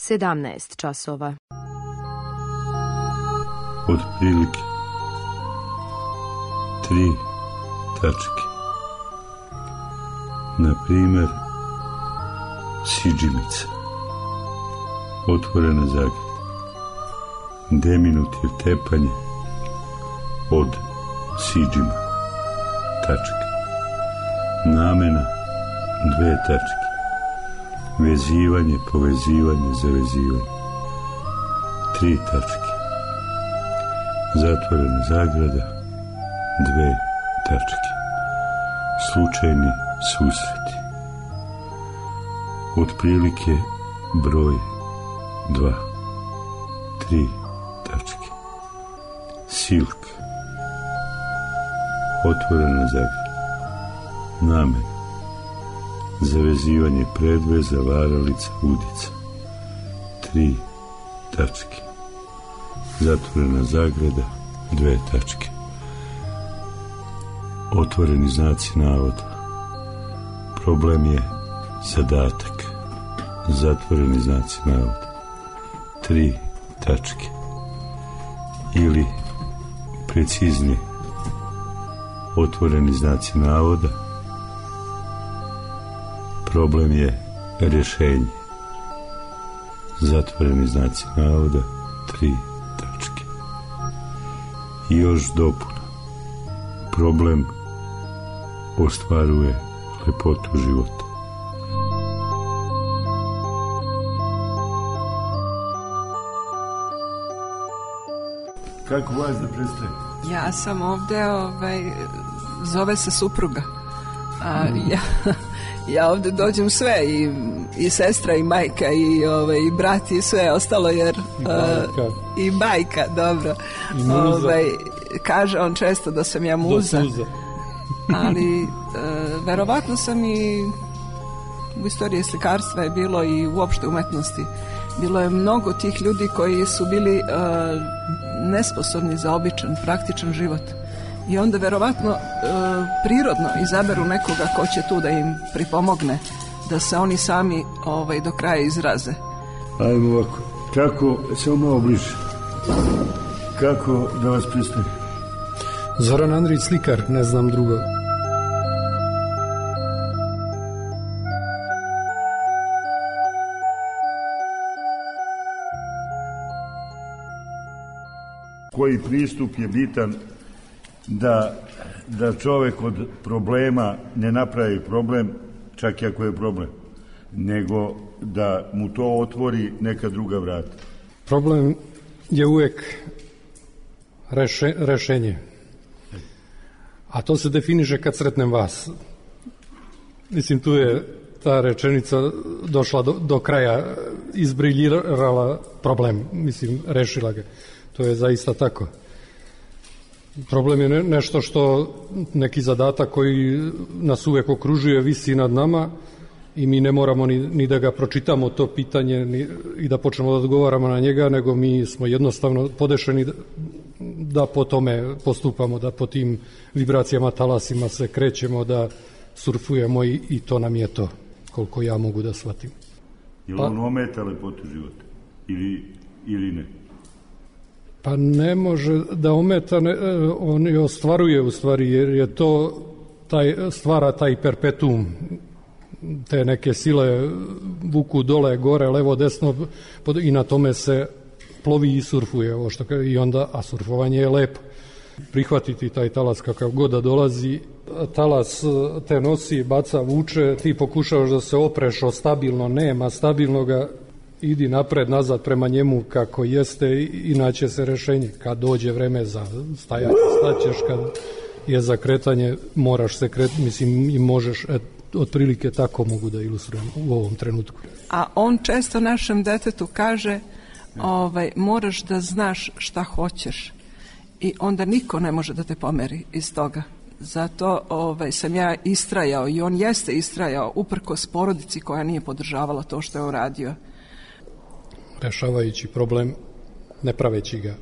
17 časova. Otprilike 3 tačke. Na primjer, sidžimica, otvorena zagrada, deminutiv tepanje od sidžima, tačke. Namena 2 tačke. Vezivanje, povezivanje, zavezivanje 3 tačke. Zatvorena zagrada 2 tačke. Slučajni susreti. Otprilike broj 2 3 tačke. Silka, otvorena zagrada. Namena zavezivanje predveza, varalica, udica 3 tačke. Zatvorena zagrada 2 tačke. Otvoreni znaci navoda. Problem je zadatak. Zatvoreni znaci navoda 3 tačke. Ili preciznije, otvoreni znaci navoda. Problem je rješenje. Zatvoreni znaci navoda 3 tačke. I još dopuna. Problem ostvaruje lepotu života. Kako vas da predstavim? Ja sam ovdje, zove se supruga. Ja ovdje dođem sve, i sestra, i majka, i brat, i sve ostalo, jer i majka, dobro. Kaže on često da sam ja muza. Ali verovatno sam i u istoriji slikarstva je bilo i uopšte umetnosti. Bilo je mnogo tih ljudi koji su bili nesposobni za običan, praktičan život. I onda verovatno prirodno izaberu nekoga ko će tu da im pripomogne, da se oni sami do kraja izraze. Ajmo ovako, kako, samo malo bliže, kako da vas predstavim? Zoran Andrić, slikar, ne znam drugo. Koji pristup je bitan da čovjek od problema ne napravi problem, čak i ako je problem, nego da mu to otvori neka druga vrata. Problem je uvijek rešenje. A to se definiše kad sretnem vas. Mislim, tu je ta rečenica došla do kraja, izbriljirala problem, mislim, rešila ga. To je zaista tako. Problem je nešto što, neki zadatak koji nas uvijek okružuje, visi nad nama i mi ne moramo ni da ga pročitamo to pitanje i da počnemo da odgovaramo na njega, nego mi smo jednostavno podešeni da po tome postupamo, da po tim vibracijama, talasima se krećemo, da surfujemo i to nam je to, koliko ja mogu da shvatim. Je li on ometa lepotu života ili ne? Pa ne može da ometa, on je ostvaruje u stvari, jer je to stvara taj perpetuum, te neke sile vuku dole, gore, levo, desno i na tome se plovi i surfuje, i onda, a surfovanje je lepo. Prihvatiti taj talas kakav god da dolazi, talas te nosi, baca, vuče, ti pokušavaš da se opreš o stabilno, nema stabilnoga, idi napred, nazad prema njemu kako jeste i naće se rešenje. Kad dođe vreme za stajanje, staćeš, kad je za kretanje, moraš se kretati, mislim, i možeš, otprilike tako mogu da ilustrujem u ovom trenutku. A on često našem detetu kaže, moraš da znaš šta hoćeš i onda niko ne može da te pomeri iz toga. Zato sam ja istrajao i on jeste istrajao uprkos porodici koja nije podržavala to što je uradio. Rešavajući problem, ne praveći ga.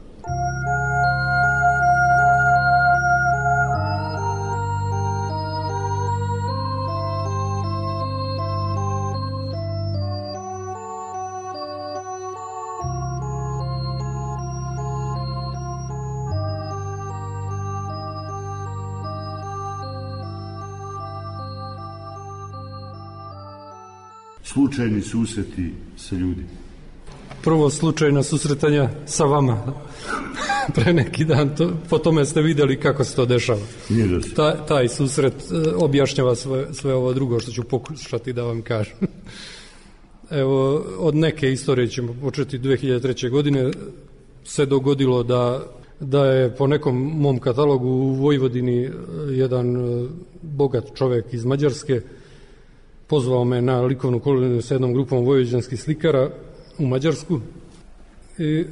slučajni susreti sa ljudima? Prvo slučajna susretanja sa vama pre neki dan, po tome ste vidjeli kako se to dešava. Taj susret objašnjava sve ovo drugo što ću pokušati da vam kažem. Evo, od neke istorije ćemo početi. 2003. godine se dogodilo da je po nekom mom katalogu u Vojvodini jedan bogat čovjek iz Mađarske pozvao me na likovnu koloniju sa jednom grupom vojvođanskih slikara u Mađarsku i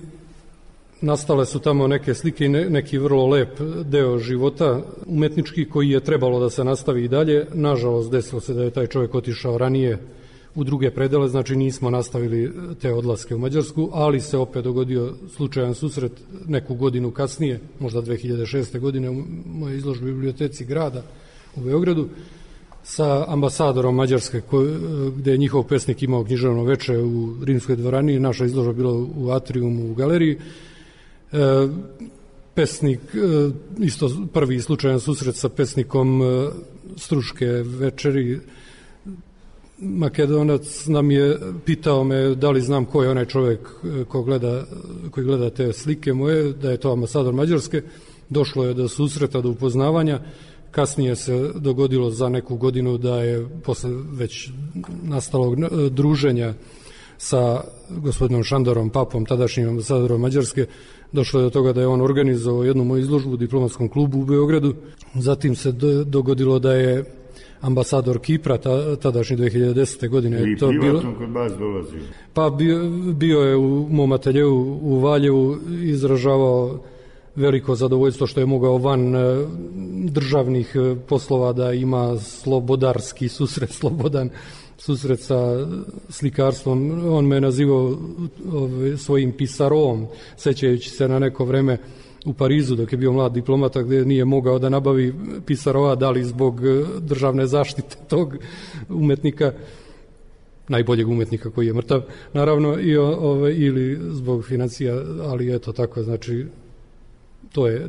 nastale su tamo neke slike i neki vrlo lep deo života umetnički koji je trebalo da se nastavi i dalje. Nažalost, desilo se da je taj čovjek otišao ranije u druge predele, znači nismo nastavili te odlaske u Mađarsku, ali se opet dogodio slučajan susret neku godinu kasnije, možda 2006. godine u mojoj izložbi u biblioteci grada u Beogradu, sa ambasadorom Mađarske, gde je njihov pesnik imao književno veče u Rimskoj dvorani, naša izložba bila u atriumu u galeriji. Pesnik, isto prvi slučajan susret sa pesnikom Struške večeri, Makedonac nam je pitao me da li znam ko je onaj čovjek koji gleda te slike moje, da je to ambasador Mađarske. Došlo je do susreta, do upoznavanja. Kasnije se dogodilo za neku godinu da je posle već nastalog druženja sa gospodinom Šandorom Papom, tadašnjim ambasadorom Mađarske, došlo je do toga da je on organizovao jednu moju izložbu u diplomatskom klubu u Beogradu. Zatim se dogodilo da je ambasador Kipra, tadašnji 2010. godine. I privatno kod vas dolazio? Pa bio je u mom ateljeu u Valjevu, izražavao veliko zadovoljstvo što je mogao van državnih poslova da ima slobodarski susret, slobodan susret sa slikarstvom. On me nazivao svojim pisarom, sećajući se na neko vreme u Parizu dok je bio mlad diplomata gdje nije mogao da nabavi pisarova, da li zbog državne zaštite tog umetnika, najboljeg umetnika koji je mrtav, naravno, ili zbog financija, ali eto tako, znači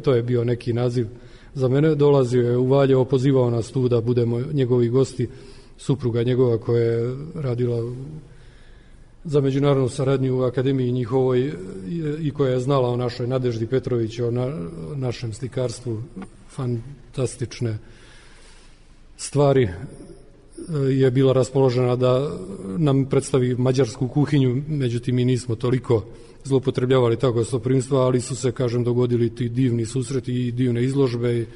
to je bio neki naziv za mene. Dolazio je u Valjevo, pozivao nas tu da budemo njegovi gosti, supruga njegova koja je radila za međunarodnu saradnju u akademiji njihovoj i koja je znala o našoj Nadeždi Petrović, o našem slikarstvu, fantastične stvari, je bila raspoložena da nam predstavi mađarsku kuhinju, međutim mi nismo toliko zloupotrebljavali tako gostoprimstva, ali su se, kažem, dogodili ti divni susreti i divne izložbe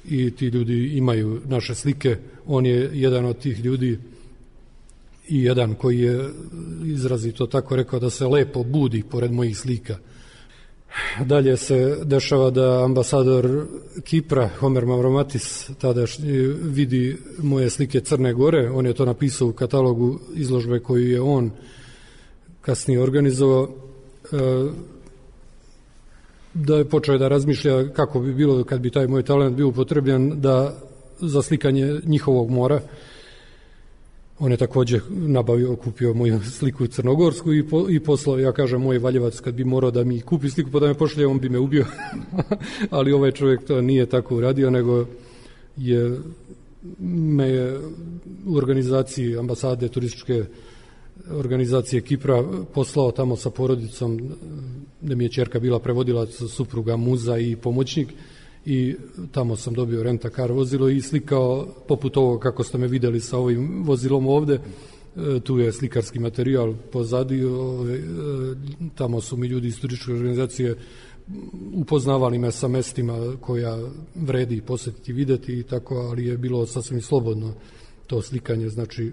i ti ljudi imaju naše slike. On je jedan od tih ljudi i jedan koji je izrazito tako rekao da se lepo budi pored mojih slika. Dalje se dešava da ambasador Kipra, Homer Mavromatis, tada vidi moje slike Crne Gore. On je to napisao u katalogu izložbe koju je on kasnije organizovao, da je počeo da razmišlja kako bi bilo kad bi taj moj talent bio upotrebljen za slikanje njihovog mora. On je također kupio moju sliku crnogorsku i poslao, ja kažem, moj Valjevac kad bi morao da mi kupi sliku pa da me pošalje, on bi me ubio. Ali ovaj čovjek to nije tako uradio, nego me je u organizaciji ambasade turističke organizacije Kipra poslao tamo sa porodicom, da mi je ćerka bila prevodilac, supruga, muza i pomoćnik, i tamo sam dobio rent-a-car vozilo i slikao poput ovo kako ste me vidjeli sa ovim vozilom ovde. Tu je slikarski materijal pozadi, tamo su mi ljudi iz turističke organizacije upoznavali me sa mestima koja vredi posjetiti i vidjeti i tako, ali je bilo sasvim slobodno to slikanje, znači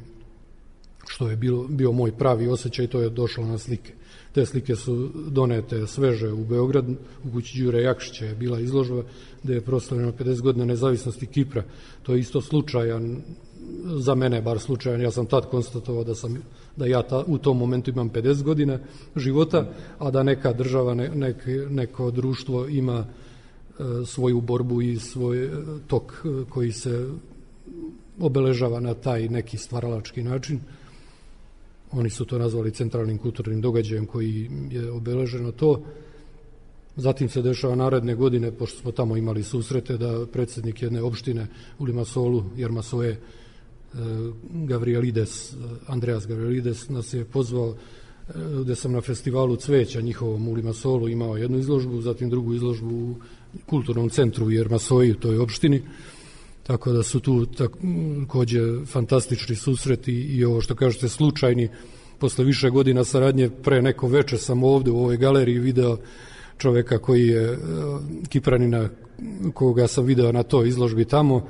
što je bio moj pravi osjećaj, to je došlo na slike. Te slike su donete sveže u Beograd, u kući Đure Jakšića je bila izložba gde je proslavljeno 50 godina nezavisnosti Kipra. To je isto slučajan, za mene bar slučajan, ja sam tad konstatovao da ja u tom momentu imam 50 godina života, a da neka država, neko društvo ima svoju borbu i svoj tok koji se obeležava na taj neki stvaralački način. Oni su to nazvali centralnim kulturnim događajem koji je obeleženo to. Zatim se dešava naredne godine, pošto smo tamo imali susrete, da predsjednik jedne opštine u Limasolu, Jermasoje, Andreas Gavrielides nas je pozvao, gde sam na festivalu cveća njihovom u Limassolu imao jednu izložbu, zatim drugu izložbu u kulturnom centru u Jermasoji, u toj opštini, tako da su tu takođe fantastični susreti i ovo što kažete slučajni. Posle više godina saradnje, pre neko veče sam ovde u ovoj galeriji video čoveka koji je Kipranina, koga sam video na toj izložbi tamo.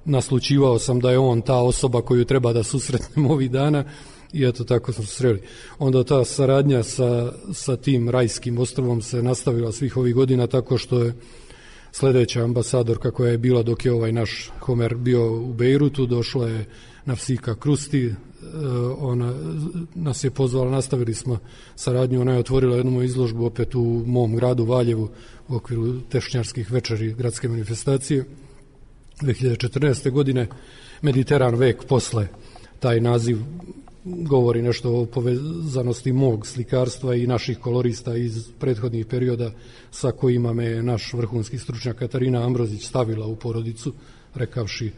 Naslućivao sam da je on ta osoba koju treba da susretnem ovih dana i eto tako smo se sreli. Onda ta saradnja sa tim rajskim ostrvom se nastavila svih ovih godina tako što je sledeća ambasadorka koja je bila dok je ovaj naš Homer bio u Bejrutu, došla je Nafsika Krusti, ona nas je pozvala, nastavili smo saradnju, ona je otvorila jednu izložbu opet u mom gradu Valjevu u okviru tešnjarskih večeri gradske manifestacije 2014. godine. Mediteran vek posle, taj naziv govori nešto o povezanosti mog slikarstva i naših kolorista iz prethodnih perioda sa kojima me naš vrhunski stručnjak Katarina Ambrozić stavila u porodicu, rekavši,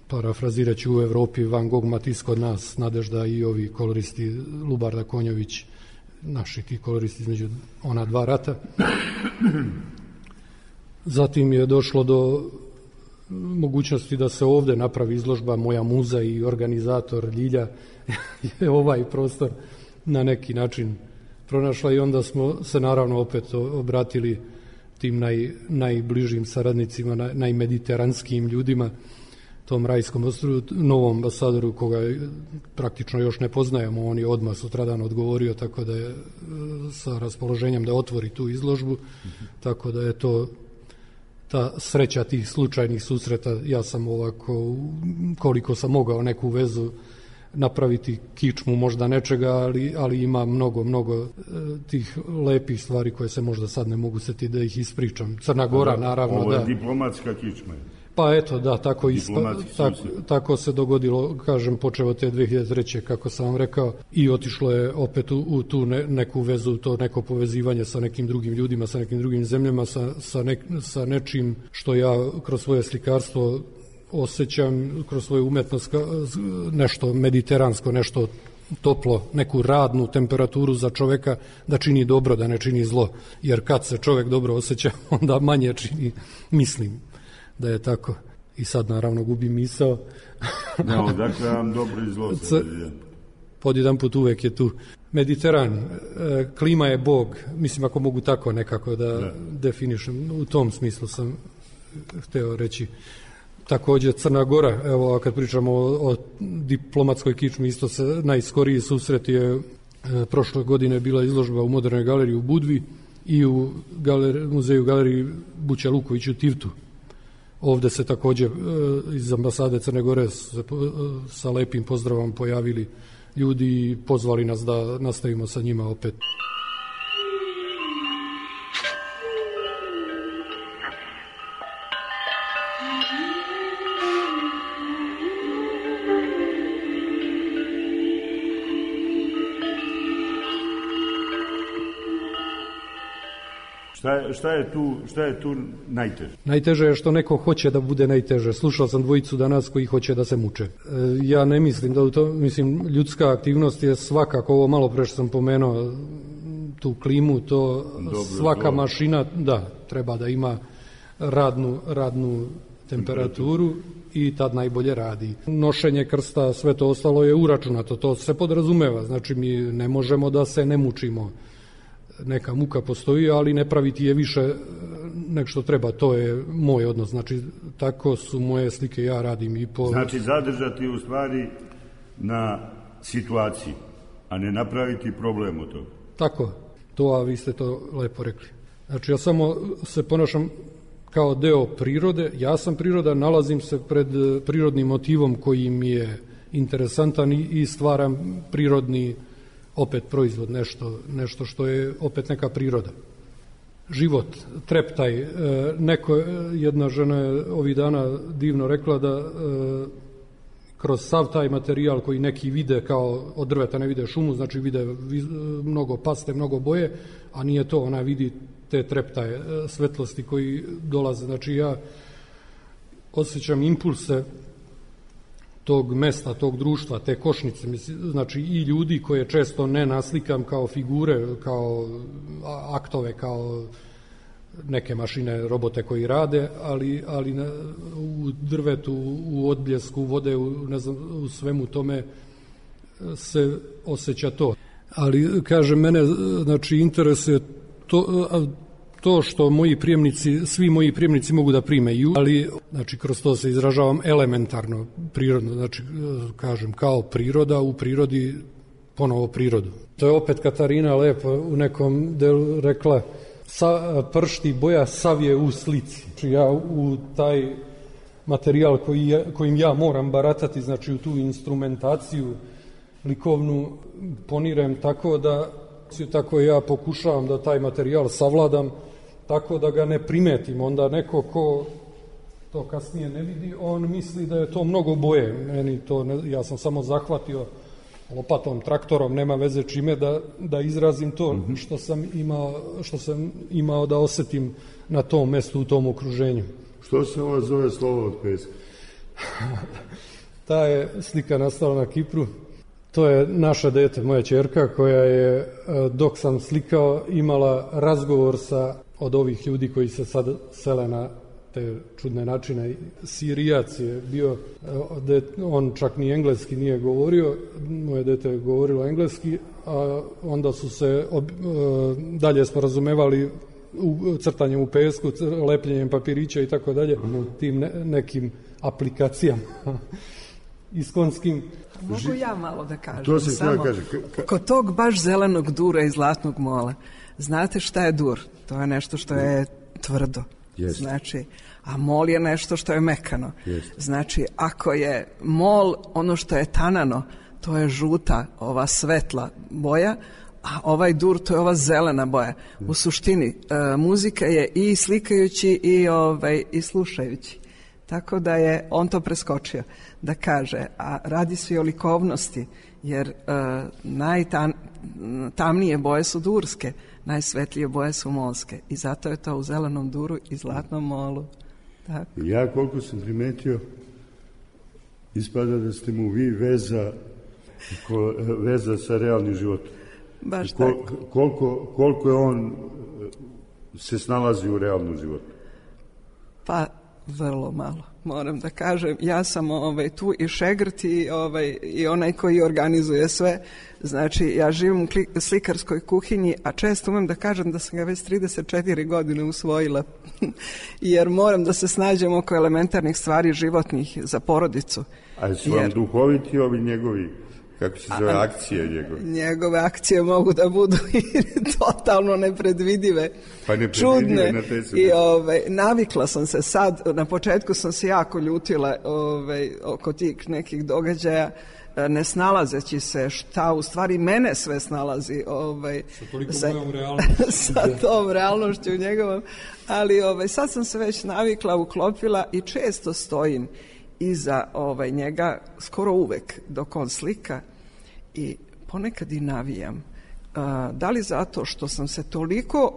parafrazirajući, u Evropi Van Gogh, Matisse kod nas, Nadežda i ovi koloristi Lubarda Konjović, naši ti koloristi između ona dva rata. Zatim je došlo do mogućnosti da se ovde napravi izložba. Moja muza i organizator Ljilja je ovaj prostor na neki način pronašla i onda smo se naravno opet obratili tim najbližim saradnicima, najmediteranskijim ljudima, tom rajskom ostrvu, novom ambasadoru koga praktično još ne poznajemo. On je odmah sutradan odgovorio, tako da je sa raspoloženjem da otvori tu izložbu, tako da je to ta sreća tih slučajnih susreta. Ja sam ovako, koliko sam mogao neku vezu napraviti, kičmu možda nečega, ali ima mnogo tih lepih stvari koje se možda sad ne mogu setiti da ih ispričam. Crna Gora, naravno. Ovo je diplomatska kičma. Pa eto, da, tako se dogodilo, kažem, počeo od te 2003. kako sam vam rekao, i otišlo je opet u tu neku vezu, to neko povezivanje sa nekim drugim ljudima, sa nekim drugim zemljama, sa nečim što ja kroz svoje slikarstvo osjećam, kroz svoju umetnost, nešto mediteransko, nešto toplo, neku radnu temperaturu za čoveka da čini dobro, da ne čini zlo, jer kad se čovek dobro osjeća, onda manje čini, mislim da je tako. I sad naravno gubim misao. No, dakle vam dobro i zlo. Pod jedan put uvek je tu Mediteran, klima je Bog, mislim ako mogu tako nekako da definišem, u tom smislu sam hteo reći. Takođe Crna Gora, evo kad pričamo o diplomatskoj kičmi, isto se najskoriji susret je prošle godine bila izložba u Modernoj galeriji u Budvi i u muzeju galeriji Buća Luković u Tivtu. Ovde se takođe iz ambasade Crne Gore sa lepim pozdravom pojavili ljudi i pozvali nas da nastavimo sa njima opet. Šta je tu najteže? Najteže je što neko hoće da bude najteže. Slušao sam dvojicu danas koji hoće da se muče. Ja ne mislim da u to, mislim, ljudska aktivnost je svakako, ovo malo pre što sam pomenuo, tu klimu, to dobro, svaka mašina, da, treba da ima radnu temperaturu i tad najbolje radi. Nošenje krsta, sve to ostalo je uračunato, to se podrazumeva, znači mi ne možemo da se ne mučimo. Neka muka postoji, ali ne praviti je više nek što treba, to je moj odnos, znači tako su moje slike, ja radim i po... Znači zadržati u stvari na situaciji, a ne napraviti problem od toga. Tako, a vi ste to lepo rekli. Znači ja samo se ponašam kao deo prirode, ja sam priroda, nalazim se pred prirodnim motivom koji mi je interesantan i stvaram prirodni opet proizvod, nešto što je opet neka priroda. Život, treptaj, jedna žena je ovih dana divno rekla da kroz sav taj materijal koji neki vide kao od drveta ne vide šumu, znači vide mnogo paste, mnogo boje, a nije to, ona vidi te treptaje, svetlosti koji dolaze. Znači ja osjećam impulse tog mesta, tog društva, te košnice, znači i ljudi koje često ne naslikam kao figure, kao aktove, kao neke mašine, robote koji rade, ali u drvetu, u odbljesku vode, u svemu tome se osjeća to. Ali, kažem, mene, znači, interesuje to što svi moji prijemnici mogu da prime, ali, znači, kroz to se izražavam elementarno, prirodno, znači, kažem, kao priroda, u prirodi, ponovo prirodu. To je opet Katarina lepo u nekom delu rekla, pršti boja sav je u slici. Znači, ja u taj materijal kojim ja moram baratati, znači u tu instrumentaciju likovnu ponirem tako ja pokušavam da taj materijal savladam tako da ga ne primetim. Onda neko ko to kasnije ne vidi, on misli da je to mnogo boje. Meni to ja sam samo zahvatio lopatom, traktorom, nema veze čime da izrazim to što sam imao da osetim na tom mestu, u tom okruženju. Što se ovo zove slovo od peska? Ta je slika nastala na Kipru. To je naša dete, moja ćerka, koja je, dok sam slikao, imala razgovor od ovih ljudi koji se sad sele na te čudne načine. Sirijac je bio, on čak ni engleski nije govorio, moje dete je govorilo engleski, a onda su se dalje sporazumevali crtanjem u pesku, lepljenjem papirića i tako dalje, tim nekim aplikacijama iskonskim. Mogu ja malo da kažem? To se samo kaže. Kod tog baš zelenog dura i zlatnog mola, znate šta je dur? To je nešto što je tvrdo. Jest. Znači, a mol je nešto što je mekano. Jest. Znači, ako je mol ono što je tanano, to je žuta, ova svetla boja, a ovaj dur, to je ova zelena boja. U suštini, muzika je i slikajući i slušajući. Tako da je on to preskočio da kaže, a radi se i o likovnosti, jer najtamnije boje su durske, najsvetlije boje su molske i zato je to u zelenom duru i zlatnom molu. Tako. Ja koliko sam primetio, ispada da ste mu vi veza sa realnim životom. Baš tako. Koliko je on se snalazi u realnom životu? Pa vrlo malo, moram da kažem. Ja sam tu i šegrt i onaj koji organizuje sve. Znači, ja živim u slikarskoj kuhinji, a često umem da kažem da sam ga već 34 godine usvojila, jer moram da se snađem oko elementarnih stvari životnih za porodicu. A su vam duhoviti ovi njegovi, kako se zove, akcije njegove? Njegove akcije mogu da budu i totalno nepredvidive, čudne. I navikla sam se sad, na početku sam se jako ljutila oko tih nekih događaja, ne snalazeći se šta u stvari mene sve snalazi sa tom realnošću njegovom, ali sad sam se već navikla, uklopila i često stojim iza njega skoro uvek dok on slika i ponekad i navijam. Da li zato što sam se toliko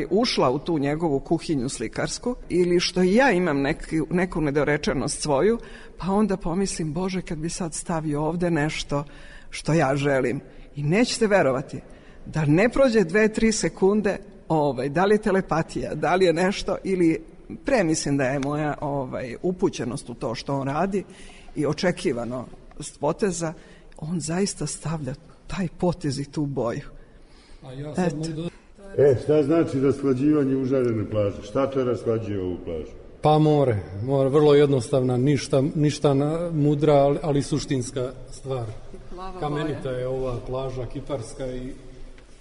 ušla u tu njegovu kuhinju slikarsku ili što i ja imam neku nedorečenost svoju, pa onda pomislim, Bože, kad bi sad stavio ovde nešto što ja želim. I nećete verovati da ne prođe 2-3 sekunde, da li je telepatija, da li je nešto ili premislim da je moja upućenost u to što on radi i očekivano poteza, on zaista stavlja taj potez i tu boju. Šta znači rashlađivanje užarene plaže? Šta to rashlađuje ovu plažu? Pa more, vrlo jednostavna, ništa mudra, ali suštinska stvar. Kamenita je ova plaža kiparska i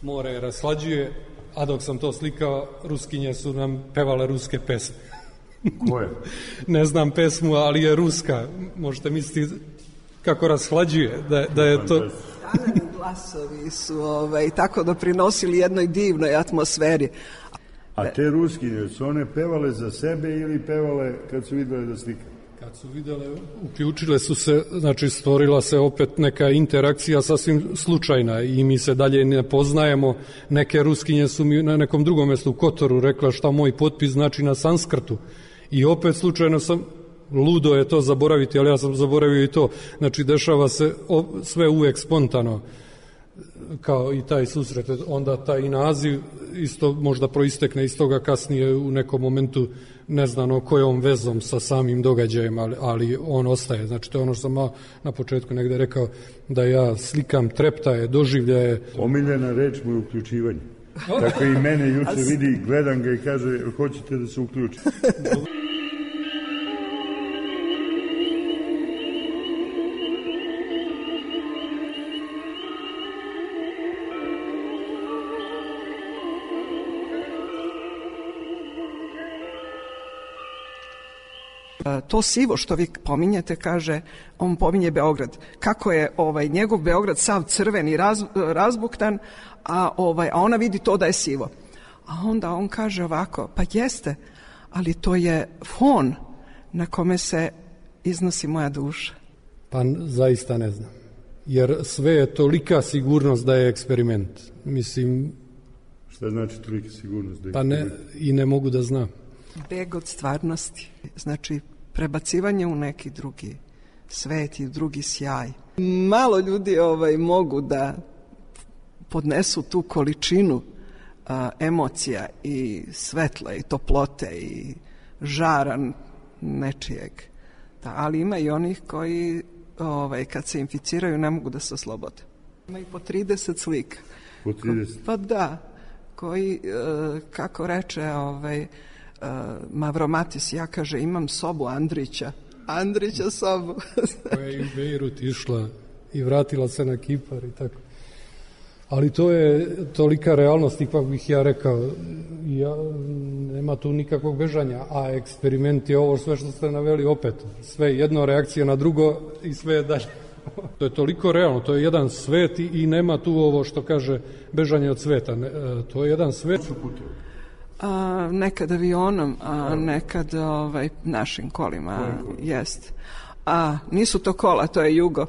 more je rashlađuje, a dok sam to slikao, Ruskinje su nam pevale ruske pesme. Koje? Ne znam pesmu, ali je ruska. Možete misliti kako rashlađuje, da je to... Tanani glasovi su tako doprinosili jednoj divnoj atmosferi. A te Ruskinje, su one pevale za sebe ili pevale kad su videle da slika? Kad su videle, uključile su se, znači stvorila se opet neka interakcija sasvim slučajna i mi se dalje ne poznajemo. Neke Ruskinje su mi na nekom drugom mjestu u Kotoru rekla šta moj potpis znači na sanskrtu. I opet slučajno sam ludo je to zaboraviti, ali ja sam zaboravio i to. Znači, dešava se sve uvek spontano, kao i taj susret. Onda taj naziv isto možda proistekne iz toga kasnije u nekom momentu, ne znam kojom vezom sa samim događajem, ali on ostaje. Znači, to je ono što sam na početku negde rekao, da ja slikam treptaje, doživljaje. Omiljena reč mu je uključivanje. Tako i mene juče vidi, gledam ga i kaže, hoćete da se uključi. To sivo što vi pominjete, kaže, on pominje Beograd. Kako je njegov Beograd sav crven i razbuktan, a ona vidi to da je sivo. A onda on kaže ovako, pa jeste, ali to je fon na kome se iznosi moja duša. Pa zaista ne znam. Jer sve je tolika sigurnost da je eksperiment. Mislim... Šta znači tolika sigurnost da je eksperiment? Pa ne, i ne mogu da znam. Beg od stvarnosti, znači prebacivanje u neki drugi svet i drugi sjaj. Malo ljudi mogu da podnesu tu količinu emocija i svetla i toplote i žara nečijeg. Ali ima i onih koji kad se inficiraju ne mogu da se oslobode. Ima i po 30 slika. Po 30? Pa da, koji, kako reče Mavromatis, ja kaže imam sobu Andrića sobu. Koja je u Bejrut išla i vratila se na Kipar i tako. Ali to je tolika realnost, ipak bih ja rekao, nema tu nikakvog bežanja, a eksperiment je ovo sve što ste naveli opet. Sve jedno reakcija na drugo i sve je dalje. To je toliko realno, to je jedan svet i nema tu ovo što kaže bežanje od sveta. To je jedan svet. Nekad avionom, a nekad našim kolima, jest. A nisu to kola, to je Jugo.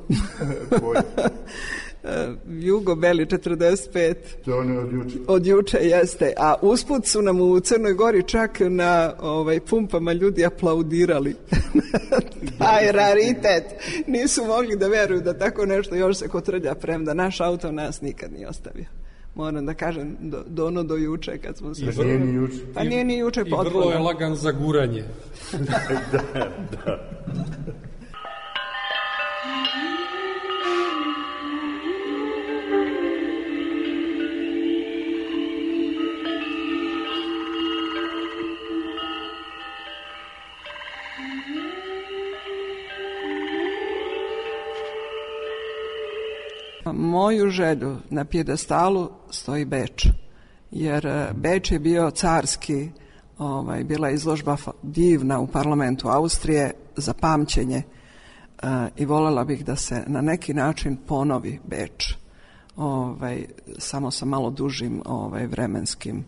Jugo Beli 45. To on je od juče. Od juče, jeste. A usput su nam u Crnoj Gori čak na pumpama ljudi aplaudirali. Taj raritet. Nisu mogli da veruju da tako nešto još se kotrlja, premda naš auto nas nikad nije ostavio. Moram da kažem, do juče kad smo se... Nije ni juče. Pa nije ni juče potpuno. I vrlo je lagan za guranje. Da. Moju želju na pjedestalu stoji Beč, jer Beč je bio carski, bila je izložba divna u parlamentu Austrije za pamćenje i voljela bih da se na neki način ponovi Beč, samo sa malo dužim vremenskim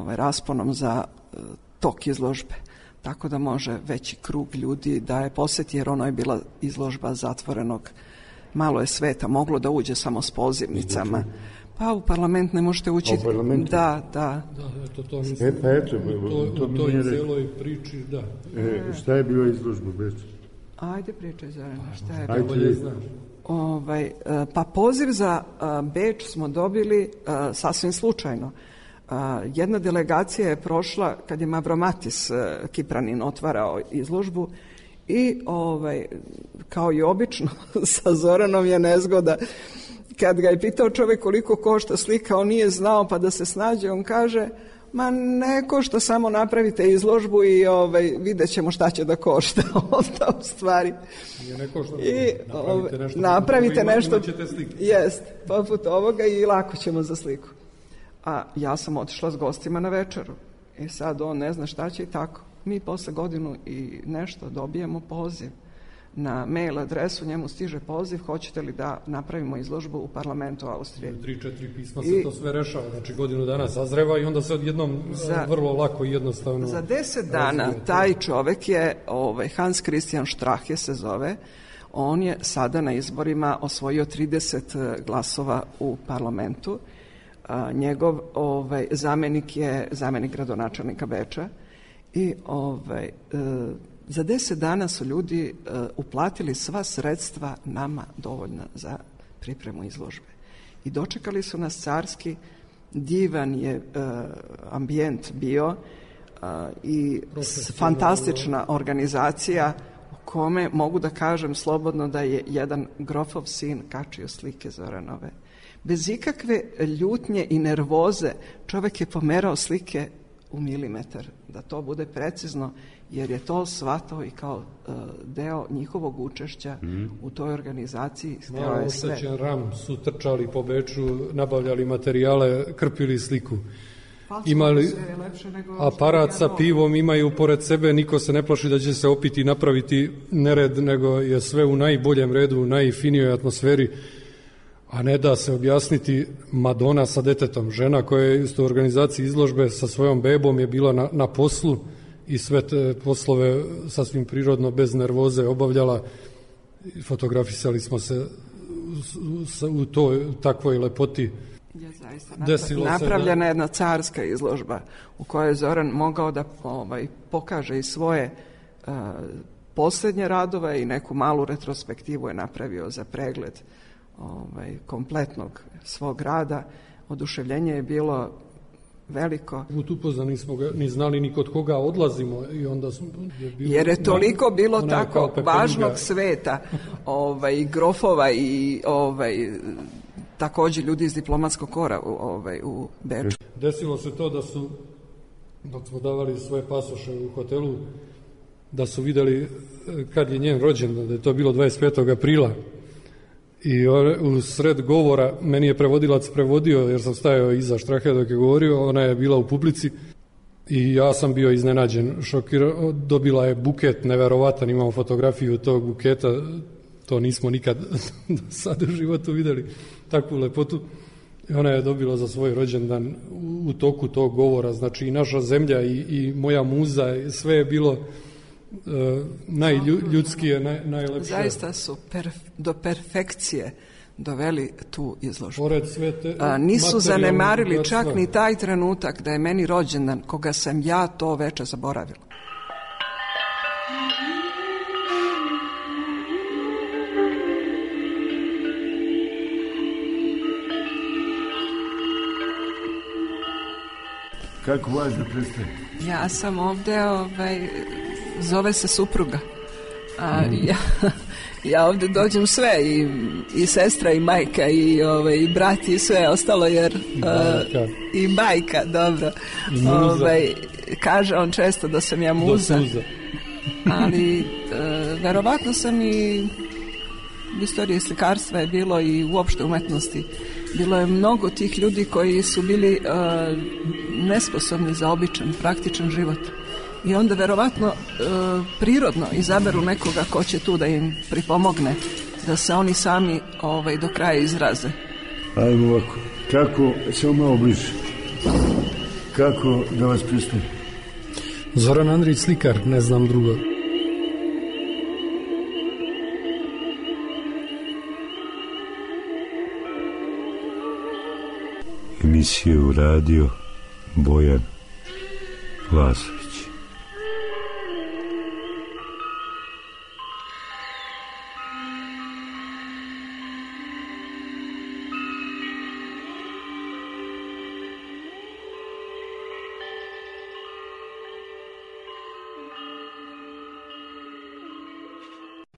rasponom za tok izložbe, tako da može veći krug ljudi da je posjeti, jer ono je bila izložba zatvorenog. Malo je sveta, moglo da uđe samo s pozivnicama. Pa u parlament ne možete ući. U parlamentu? Da. Da, eto, to mislim. To u toj cijeloj priči, da. Šta je bila izložba Beč? Ajde pričaj, Zorana, šta je bilo? Bolje znam. Pa poziv za Beč smo dobili sasvim slučajno. Jedna delegacija je prošla kad je Mavromatis Kipranin otvarao izložbu i kao i obično sa Zoranom je nezgoda. Kad ga je pitao čovjek koliko košta slika, on nije znao, pa da se snađe, on kaže, ma ne košta, samo napravite izložbu i vidjet ćemo šta će da košta. Onda u stvari napravite nešto, jest, poput ovoga i lako ćemo za sliku. A ja sam otišla s gostima na večeru i sad on ne zna šta će i tako. Mi posle godinu i nešto dobijemo poziv na mail adresu, njemu stiže poziv, hoćete li da napravimo izložbu u parlamentu Austrije. 3-4 pisma se to sve rešava, znači godinu dana sazreva i onda se odjednom vrlo lako i jednostavno... Za 10 dana taj čovek je, Hans Christian Strache se zove, on je sada na izborima osvojio 30 glasova u parlamentu. Njegov zamenik je zamenik gradonačelnika Beča i Za 10 dana su ljudi uplatili sva sredstva nama dovoljna za pripremu izložbe. I dočekali su nas carski, divan je ambijent bio i fantastična organizacija u kome mogu da kažem slobodno da je jedan grofov sin kačio slike Zoranove. Bez ikakve ljutnje i nervoze čovjek je pomerao slike u milimetar, da to bude precizno, jer je to shvatao i kao deo njihovog učešća u toj organizaciji. Malo oštećen ram su trčali po Beču, nabavljali materijale, krpili sliku. Imali aparat sa pivom, imaju pored sebe, niko se ne plaši da će se opiti i napraviti nered, nego je sve u najboljem redu, u najfinijoj atmosferi, a ne da se objasniti Madonna sa detetom. Žena koja je isto u organizaciji izložbe sa svojom bebom je bila na poslu i sve te poslove sasvim prirodno, bez nervoze obavljala. Fotografisali smo se u toj takvoj lepoti. Je zaista napravljena jedna carska izložba u kojoj je Zoran mogao da pokaže i svoje posljednje radove i neku malu retrospektivu je napravio za pregled kompletnog svog rada. Oduševljenje je bilo veliko. Upoznali nismo ga ni znali ni kod koga odlazimo i onda jer je toliko bilo tako važnog sveta, grofova i također ljudi iz diplomatskog kora u Beču. Desilo se to da su, dok smo davali svoje pasoše u hotelu, da su vidjeli kad je njen rođendan, da je to bilo 25. aprila. I u sred govora, meni je prevodilac prevodio, jer sam stajao iza Štrahe dok je govorio, ona je bila u publici i ja sam bio iznenađen, šokiran, dobila je buket neverovatan, imamo fotografiju tog buketa, to nismo nikad do sada u životu vidjeli, takvu lepotu. I ona je dobila za svoj rođendan u toku tog govora, znači i naša zemlja i moja muza, sve je bilo najljudskije, najlepše. Zaista su do perfekcije doveli tu izložbu. Nisu zanemarili čak ni taj trenutak da je meni rođendan, koga sam ja to veče zaboravila. Kako vas da predstavim? Ja sam ovdje, zove se supruga. Ja ovdje dođem sve, i sestra, i majka, i brat, i sve ostalo, jer i majka, dobro. Kaže on često da sam ja muza. Ali verovatno sam i u istoriji slikarstva je bilo i uopšte umetnosti. Bilo je mnogo tih ljudi koji su bili nesposobni za običan, praktičan život. I onda verovatno prirodno izaberu nekoga ko će tu da im pripomogne, da se oni sami do kraja izraze. Ajmo ovako, kako, samo malo bliže, kako da vas predstavim? Zoran Andrić, slikar, ne znam drugo. Emisiju radio Bojan Lasović.